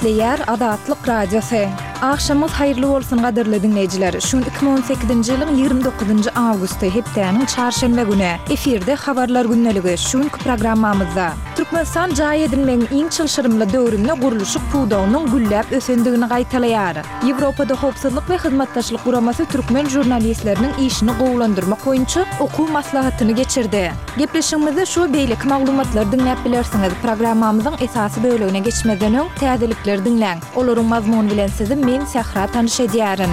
Gepleýär Azatlyk Radiosy. Agşamyňyz haýyrly bolsun gadyrly diňleýjiler. Şu gün 2018-nji ýylyň 29-njy awgusty, hepdäniň çarşenbe güni. Efirde Habarlar gündeligi. Şu günki programmamyzda. Türkmenistan jaý edinmegiň iň çylşyrymly döwründe gurluşyk pudagynyň gülläp ösendigini gaýtalaýar. Ýewropada Howpsuzlyk we Hyzmatdaşlyk Guramasy türkmen žurnalistleriniň işini gowulandyrmak boýunça okuw maslahatyny geçirdi. Gepleşigimizde şu we beýleki maglumatlary diňläp bilersiňiz. Programmamyzyň esasy bölegine geçmezden öň, täzelikleri diňläň. Olaryň mazmuny bilen sizi men, Sähra tanyş edýärin.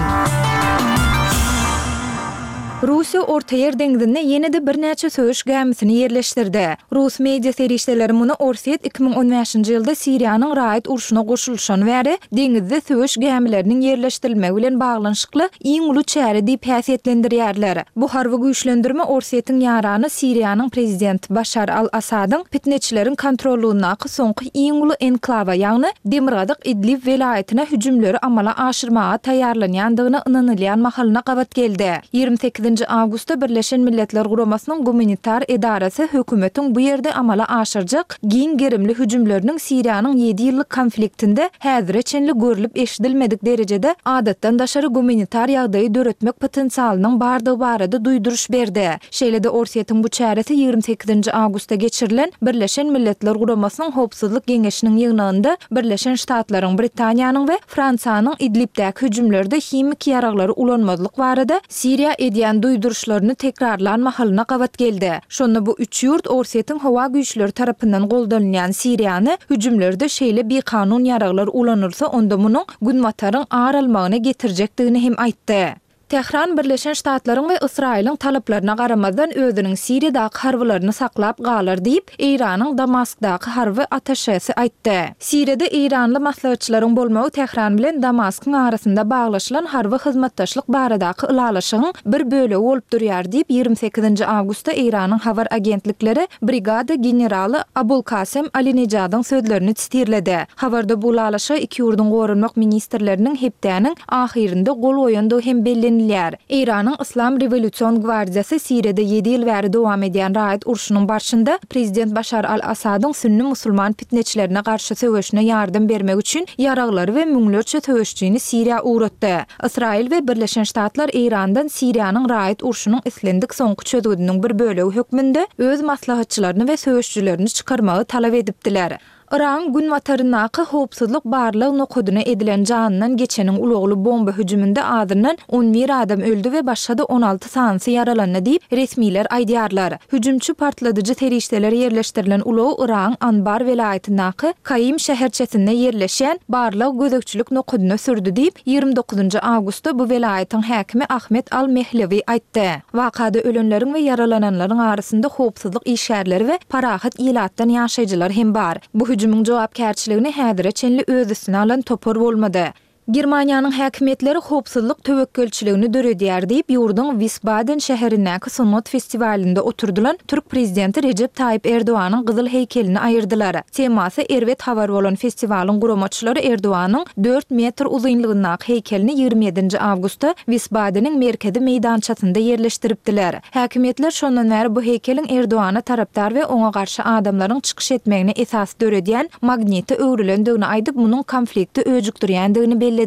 Russiýa Ortaýer deňzinde ýene-de birnäçe söweş gämisini ýerleşdirdi. Rus media serişdeleri muny Orsýet 2015-nji ýylda Siriýanyň raýat urşuna goşulyşany bäri deňizde söweş gämileriniň ýerleşdirilmegi bilen baglanyşykly iň uly çäre diýip häsiýetlendirýärler. Bu harby güýçlendirme Orsýetiň ýarany Siriýanyň prezidenti Başar al-Assadyň pitneçileriň kontrollygyndaky soňky iň uly enklawa, ýagny demirgazyk Idlib welaýatyna hüjümleri amala aşyrmaga taýýarlanýandygyna ynanylýan mahalyna gabat geldi. 28-nji awgustda Birleşen Milletler Guramasynyň gumanitar edarasy hökümetiň bu ýerde amala aşyrjak giň gerimli hüjümleriniň Siriýanyň ýedi ýyllyk konfliktinde häzire çenli görlüp-eşidilmedik derejede adatdan daşary gumanitar ýagdaýy döretmek potensialynyň bardygy barada duýduryş berdi. Şeýle-de Orsýetiň bu çäresi 28-nji awgustda geçirilen Birleşen Milletler Guramasynyň Howpsuzlyk Geňeşiniň ýygnagynda Birleşen Ştatlaryň, Britaniýanyň we Fransiýanyň Idlibdäki hüjümlerde himiki ýaraglary ulanmazlyk barada Siriýa edýän duýduryşlaryny tekrarlan mahalyna gabat geldi. Şonda bu üç ýurt Orsýetiň howa güýçleri tarapyndan goldanylýan Siriýany hüjümlerde şeýle bikanun ýaraglar ulanylsa onda munuň Günbataryň ar almagyna getirjekdigini hem aýtdy. Tähran Birleşen Ştatlaryň we Ysraýylyň talaplaryna garamazdan özüniň Siriýadaky harbylaryny saklap galar diýip, Eýranyň Damaskdaky harby attaşesi aýtdy. Siriýada eýranly maslahatçylaryň bolmagy Tähran bilen Damaskyň arasynda baglaşylan harby hyzmatdaşlyk baradaky ylalaşygyň bir bölegi bolup durýar diýip, 28-nji awgustda Eýranyň habar agentlikleri brigada generaly Abulkasem Alinejadyň sözlerini sitirledi. Habarda bu ylalaşyga iki ýurduň goranmak ministrleriniň hepdäniň ahyrynda gol goýandygy hem bellenilýär. Eýranyň Yslam rewolýusion gwardiýasy Siriýada ýedi ýyl bäri dowam edýän raýat urşunyň barşynda prezident Başar al-Assadyň sünni musulman pitneçilerine garşy söweşine ýardam bermek üçin ýaraglary we müňlerçe söweşjini Siriýa ugratdy. Ysraýyl we Birleşen Ştatlar Eýrandan Siriýanyň raýat urşunyň islendik soňky çözgüdiniň bir bölegi hökmünde öz maslahatçylaryny we söweşjilerini çykarmagy talap edipdiler. Yragyň günbataryndaky howpsuzlyk barlag nokadyna edilen janyndan geçeniň ulagly bomba hüjüminde azyndan 11 adam öldi we başga-da 16 sanysy ýaralandy diýip, resmiler aýdýarlar. Hüjümçi partladyjy serişdeler ýerleşdirilen ulagy Yragyň Anbar welaýatyndaky Kaim şäherçesinde ýerleşýän barlag-gözegçilik nokadyna sürdi diýip, 29-njy awgustda bu welaýatyň häkimi Ahmet al-Mehlewi aýtdy. Wakada ölenleriň we ýaralananlaryň arasynda howpsuzlyk işgärleri we parahat ilatdan ýaşaýjylar hem bar. Bu hüjümiň jogapkärçiligini häzire çenli öz üstüne alan topar bolmady. Germaniýanyň häkimiýetleri howpsuzlyk töwekgelçiligini döredýär diýip, ýurduň Wisbaden şäherindäki sungat festiwalynda oturdylan türk prezidenti Rejep Taýyp Erdoganyň gyzyl heýkelini aýyrdylar. Temasy erbet habar bolan festiwalyň guramaçylary Erdoganyň dört metr uzynlygyndaky heýkelini 27-nji awgustda Wisbadeniň merkezi meýdançasynda ýerleşdiripdiler. Häkimiýetler şondan bäri bu heýkeliň Erdogana tarapdar we oňa garşy adamlaryň çykyş etmegine esas döredýän magnite öwrülendigini aýdyp, munuň konflikti öjükdirýändigini bellediler.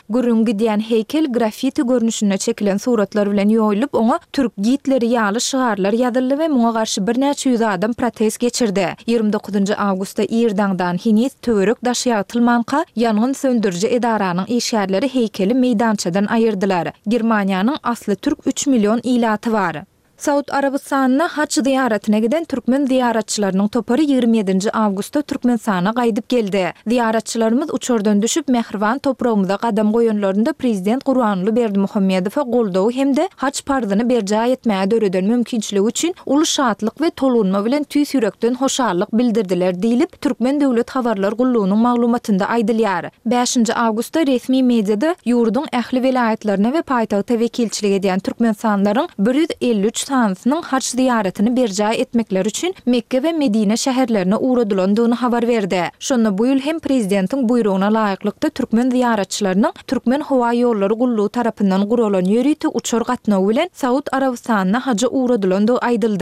Gürrüňi gidýän heýkel graffiti görnüşinde çekilen suratlar bilen ýoýulyp, oňa Türk Gitleri ýaly şygarlar ýazyldy we muňa garşy birnäçe ýüz adam protest geçirdi. 29-njy awgustda ir daňdan, heniz töwerek-daş ýagtylmanka, ýangyn söndüriji edaranyň işgärleri heýkeli meýdançadan aýyrdylar. Germaniýanyň asly türk üç million ilaty bar. Saud Arabystanyna haç zyýaratyna giden türkmen zyýaratçylarynyň topary 27-nji awgustda Türkmenistana gaýdyp geldi. Zyýaratçylarymyz uçardan düşüp, mähriban topragymyza gadam goýanlarynda prezident Gurbanguly Berdimuhamedowa goldawy hem-de haç parzyny berjaý etmäge döreden mümkinçiligi üçin uly şatlyk we tolgunma bilen tüýs ýürekden hoşallyk bildirdiler diýlip, Türkmen döwlet habarlar gullugynyň maglumatynda aýdylýar. Bäşinji awgustda resmi mediada ýurduň ähli welaýatlaryna we paýtagta wekilçilik edýän türkmenistanlylaryň 153 sanysynyň haj zyýaratyny berjaý etmekleri üçin Mekge we Medine şäherlerine ugradylandygyny habar berdi. Şonda bu ýyl hem prezidentiň buýrugyna laýyklykda türkmen zyýaratçylarynyň Türkmenhowaýollary gullugy tarapyndan guralan ýörite uçar gatnawy bilen Saud Arabystanyna haja ugradylandygy aýdyldy.